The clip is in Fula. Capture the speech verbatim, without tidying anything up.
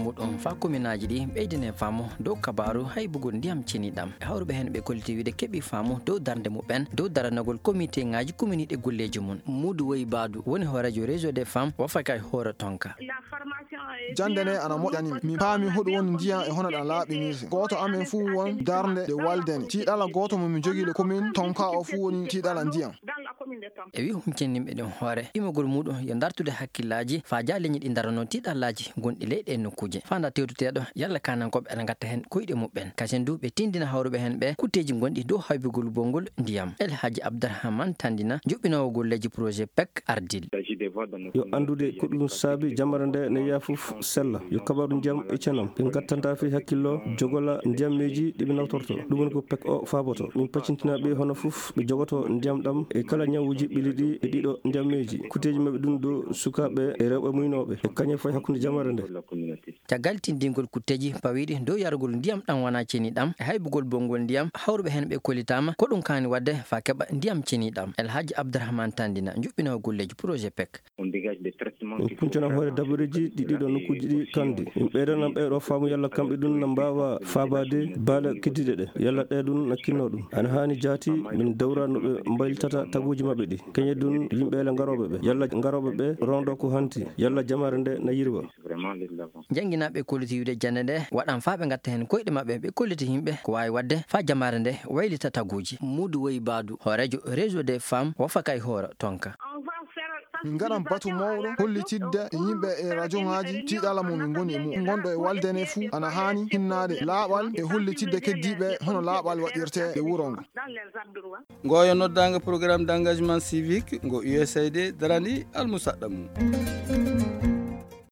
Muɗum faa kominaaji ɗi ɓeydine faamu dow kabaaru haybugol ndiyam ceniɗam. E hawruɓe heen ɓe kolliti wiide keɓi faamu dow darnde muɓɓen dow daranagol komiteŋaaji kominiiɗe golleeji mum. Muudu Woyi Baadu woni hooreejo Réseau des Femmes wafaka e hoore tonka. Jannde nde ana moƴƴani mi. Mi paami hoɗum woni ndiyam e hono ɗam laaɓinirte. Gooto amen fuu won darnde nde waldene. Tiiɗala gooto mo mi jogii le commune tonka o fuu woni tiiɗala ndiyam. E wi huncinninɓe ɗum hoore, imogol muɗum yo dartude hakkillaaji faa jaa leñi ɗi darano tiiɗallaaji gonɗi ley ɗee nokkuuje. Faa nda tewtuteeɗo yalla kaanankooɓe ana ngatta heen koyɗe muɓɓen. Kasen du ɓe tindina hawruɓe heen ɓe kutteeji gonɗi dow haybugol bonngol ndiyam. El Hadji Abdourahmane Tandina, joɓɓinoowo golleeji projet pek Ardil. Yo anndude ko ɗum saabi jamara nde ne yaa fof sella. Yo kabaru ndiyam e cenam. Ɓe ngattanta fii hakkillo jogola ndiyammeeji ɗi ɓe nawtorto. Ɗum woni ko pek o faaboto. Min paccintina ɓe hono fof ɓe jogoto ndiyam ɗam e kala ñawuuji ɓili ɗi e ɗiɗo ndiyammeeji. Kuteeji maɓɓe ɗum ɗo sukaaɓe e rewɓe muynooɓe e kañe fof e hakkunde jamare nde. Caggal tindingol kutteeji pawiiɗi dow yarugol ndiyam ɗam wonaa ceniɗam e haybugol bonngol ndiyam, hawruɓe heen ɓe kollitaama ko ɗum kaani waɗde faa keɓa ndiyam ceniɗam. El Hadji Abdourahmane Tandina, joɓɓinoowo golleeji projet pek. Min kuncana hoore dabareeji ɗi ɗiɗo nokkuuji ɗi kandi. Min ɓeydanan ɓee ɗo faamu yalla kamɓe ɗum na mbaawa faabaade baale keddiiɗe ɗe. Yalla ɗe ɗum na kinno ɗum. Ana haani jaati min dawra no ɓe mbaylitata taguuji maɓɓe ɗi. Keñe ɗum yimɓe ele ngarooɓe ɓe. Yalla ngarooɓe ɓe rondo ko hanti. Yalla jamaare nde na yirwa. Jannginaaɓe kolliti wiide jannde nde waɗan faa ɓe ngatta heen koyɗe maɓɓe, ɓe kolliti yimɓe ko waawi waɗde faa jamaare nde waylita taguuji. Muudu Woyi Baadu, hooreejo Réseau des Femmes wafaka e hoore tonka. Min ngaɗan batu mawɗo hollitidde yimɓe e rajoŋaaji tiiɗala mo min ngoni e mum. Gonɗo e walde ne fuu ana haani hinnaade laaɓal e hollitidde keddiiɓe hono laaɓal waɗirtee e wuro ngo. Ngo yo noddaango programme d'engagement civique ngo U S A I D darani almusaɗɗa mum.